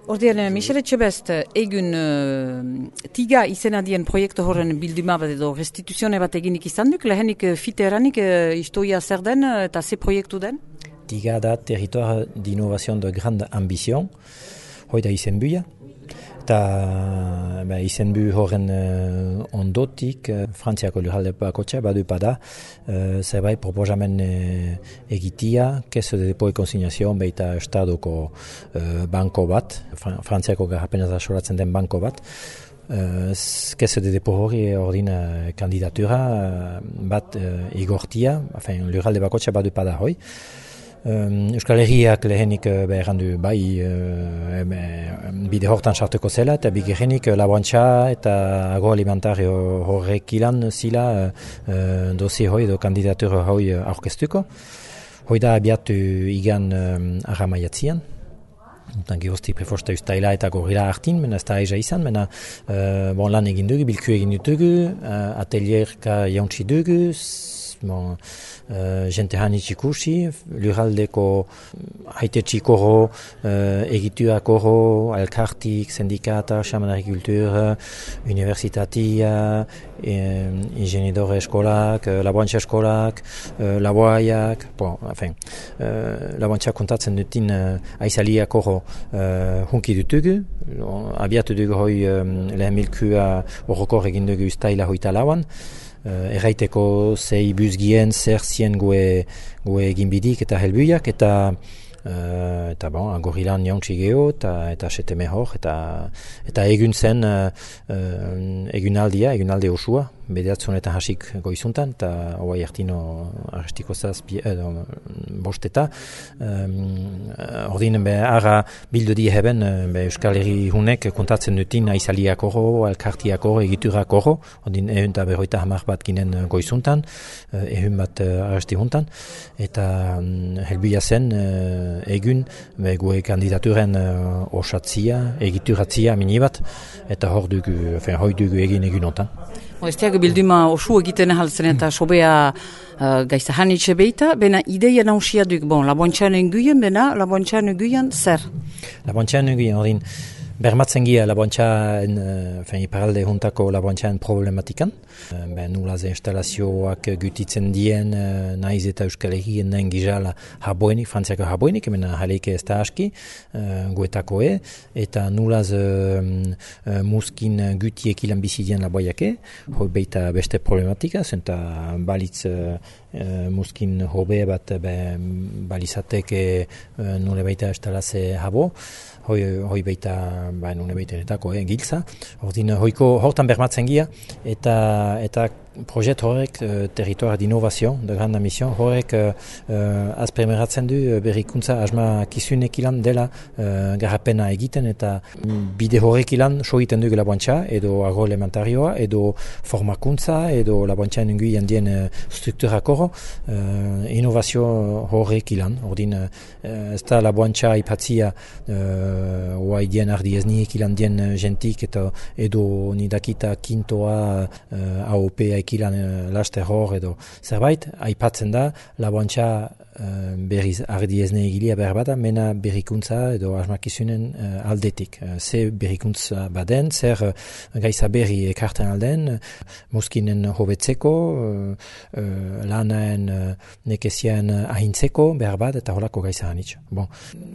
Ordean, Michel Etxebest, egun tiga izena dien proiektu horren bilduma bat edo restituzione bat eginik izan duk, lehenik fite eranik historia zer den eta ze proiektu den? Tiga da territoire d'innovation de grande ambition, hoi da izen buia. Eta izenbu horren ondotik, Frantziako lurralde bakotxa badu pada, zerbait proposamen egitia, keso de depo e konsignazion baita estadoko banko bat, Frantziako garrapenaz asoratzen den banko bat, keso de depo hori ordin kandidatura bat igortia, lurralde bakotxa badu pada hoi. Euskal Herriak lehenik errandu bai bide hortan sartuko zela eta bigarrenik laborantza eta agroalimentario horrek ilan zila dosi hoi edo kandidatura hoi aurkeztuko. Hoi da abiatu igan arramaiatzian. Geroztik preforsta ustaila eta gorila hartin, mena ez da eza izan, mena lan egin dugu, bilku egin dugu, atelierka jauntzi dugu, jente hanitz ikusi, lurraldeko haitetxik horro, egituak horro, elkartik, sindikata, xaman agrikultura, universitatia, ingenidore eskolak, laborantza eskolak, laboaiak, laborantza kontatzen dutin aizaliak horro hunki dutugu, abiatu dugu hoi lehen milkua horrokor egin dugu ustaila hoita lauan, erraiteko zei buzgien zer zien gue ginbidik eta helbuiak eta gorilan jauntzi geho eta seteme hor eta egun zen egunaldi osua bederatzunetan hasik goizuntan eta hoai hartino arrestiko bosteta ordinen ara bildu die heben Euskal Herri hunek kontatzen dutin aizaliak horro, elkartiak horro, egiturak horro ordin ehun eta berroita hamar bat ginen goizuntan ehun bat arresti juntan eta helbuia zen egun gue kandidaturen osatzia, egituratzia minibat eta hor dugu egin egun ontan. Estiak bilduma osu egiten ahaltzen eta sobea gaizta hanitxe beita, bena ideia nausia duk, laboantxan enguien, bena laboantxan enguien zer? Laboantxan enguien, ordin, bermatzen gia laboantxan, iparalde juntako laboantxan problematikan. Nulaz instalazioak gutitzen dien, naiz eta Euskal Herrien nahin gizala haboenik, Frantziako haboenik, mena jaleike ez da aski, guetakoe, eta nulaz muskin gutiek ilan bizidien laboiake, hoi beita beste problematika, zenta balitz muskin hobe bat balizateke nule baita estalaze habo, hoi baita nune baiteretako giltza. Ordin hortan bermatzen gia eta proiekt horrek territoire d'innovation, de grande mission, horrek azpremeratzen du berrikuntza asma kizunek ilan dela garapena egiten eta bide horrek ilan soiten dugu laboantza edo agroalimentarioa edo formakuntza edo laboantza nenguian dien strukturak horro innovazio horrek ilan. Ordin ez da laboantza ipatzia oai dien ardi ez niek ilan dien jentik edo nidakita kintoa AOP ilan laster hor edo zerbait, aipatzen da laboantza berriz ardi ezne egilia behar bada, mena berrikuntza edo asmakizunen aldetik. Ze berrikuntza baden, zer gaiza berri ekarten alden, muskinen hobetzeko, lanaen nekezien ahintzeko behar bat eta holako gaiza hanitz.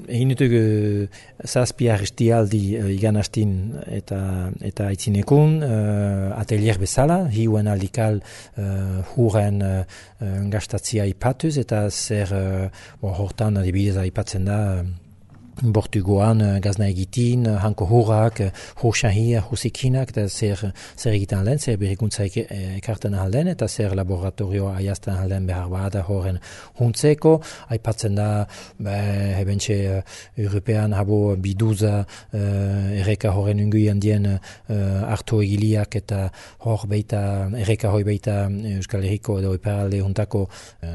Egin dutugu zazpi arrestialdi igan hastin eta aitzinekun, atelier bezala, hiuen aldikal huren gastatzia ipatuz eta zer hortan adibidez aipatzen da Bortugoan gazna egitin, hanko hurrak, hursahia, husikinak, eta zer egiten alden, zer berrikuntza ekarten alden, eta zer laboratorioa aiazten alden behar bada horren huntzeko. Aipatzen da, hebentxe European habo biduza erreka horren unguian dien hartu egiliak, eta hor beita, erreka hoi beita Euskal Herriko edo iparalde huntako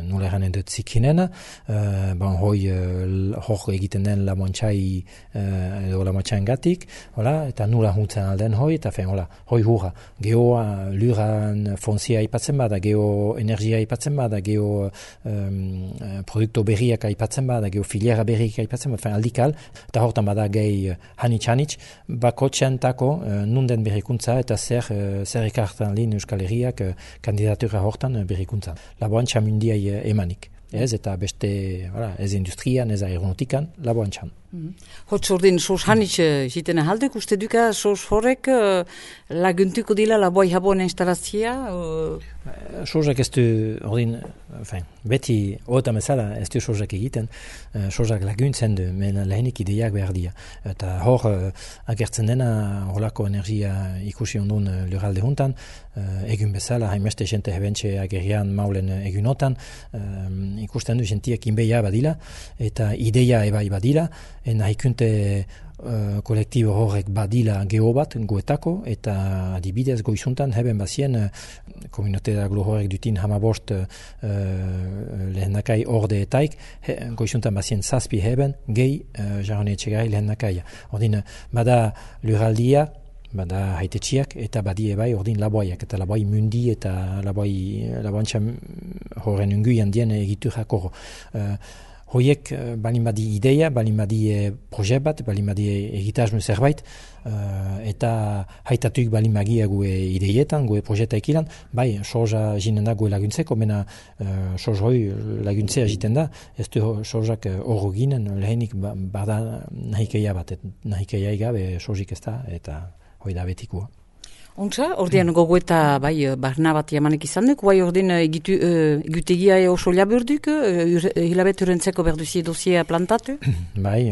nola eranen dut zikinen. Hoi hor egiten den lamoan laboantxai edo laboantxain gatik, eta nula huntzen alden hoi, eta hoi hurra. Geoa luran fonzia aipatzen bada, geoenergia aipatzen bada, produkto berriak aipatzen bada, filiera berriak aipatzen bada, aldikal, eta hortan bada gehi hanitz, bakotxeantako nunden berrikuntza eta zer ikartan lin Euskal Herriak kandidatura hortan berrikuntza. Laboantxa mundiai emanik. Ez, eta beste, ez industrian, ez aeronautikan, laboantxan. Hotz ordin, sos hanitz jitena haldek, uste duka sos horrek laguntuko dila laboi habon instalazia? Sosak ez du, ordin, beti oetan bezala ez du sosak egiten, sosak laguntzen du, men lehenik ideiak behar dira. Eta hor, agertzen dena, horlako energia ikusi ondun lurralde juntan, egun bezala, hainbeste jente hebentxe agerian maulen egunotan, ikusten du jentiek inbeia badila, eta ideia ebai badila, nahikunte kolektibo horrek badila geho bat goetako, eta adibidez goizuntan heben bazien komunitatea glo horrek dutin hamabost lehendakai ordeetaik, goizuntan bazien zazpi heben gehi jarrone etxegai lehendakaia. Ordin, bada lurraldia, bada haitetxiak, eta badie bai ordin laboaiak, eta laboai mundi eta laboantxa horren unguian dien egiturako. Hoiek balin badi ideia, balin badi proje bat, balin badi egitasmo zerbait, eta haitatuik balin bagia gue ideietan, gue projetaik ilan, bai, soja jinen da gue laguntzeko, mena soja hoi laguntzea jiten da, ez du sojak horro ginen, lehenik bada nahikeia bat, nahikeia igabe sojik ez da, eta hoi da betikua. Ontsa, ordean gogoeta barna bat jamanek izan duk, bai ordean egutegia oso laburduk, hilabet urentzeko berduzie dosia plantatu? Bai,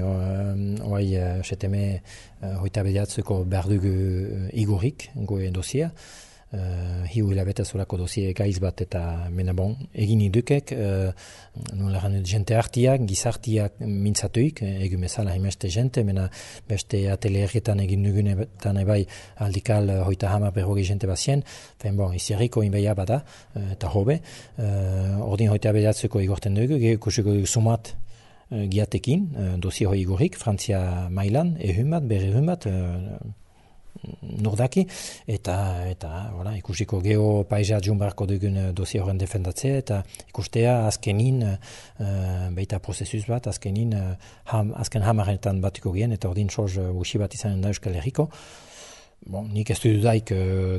seteme hoita bediatzeko berduk igorik, goe dosia, hiu hilabete zolako dosie gaiz bat eta menabon egin idukek, nolaran jente hartiak, gizartiak mintzatuik, egun bezala haimeste jente, mena beste atelierretan egin dugunetan ebai aldikal hoita hamar berroge jente bazien, izierriko inbeia bada, eta hobe, ordin hoita bediatzeko igorten dugu, kusiko sumat giatekin, dosie hoi igorik, Frantzia mailan, ehun bat, berrehun bat, nordaki, eta ikusiko geo paisa jumbarko dugun dosia horren defendatzea, eta ikustea azkenin, beita prozesuz bat, azken hamaretan batiko gen, eta ordin soz usi bat izanen da Euskal Herriko. Nik ez du dudaik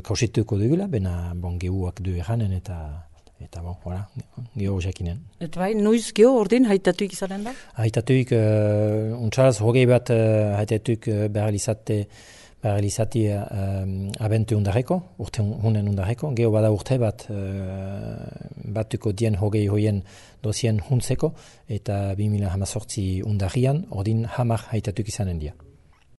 kausituko dugula, bena geuak du eranen, eta geho jakinen. Eta bai, noiz geho ordin haitatuik izanen da? Haitatuik, untsalaz hogei bat haitatuik behar izati abentu undarreko, urte hunen undarreko, geho bada urte bat batuko dien hogei hoien dosien huntzeko, eta 2018 undarrian, ordin hamar haitatuk izanen dia.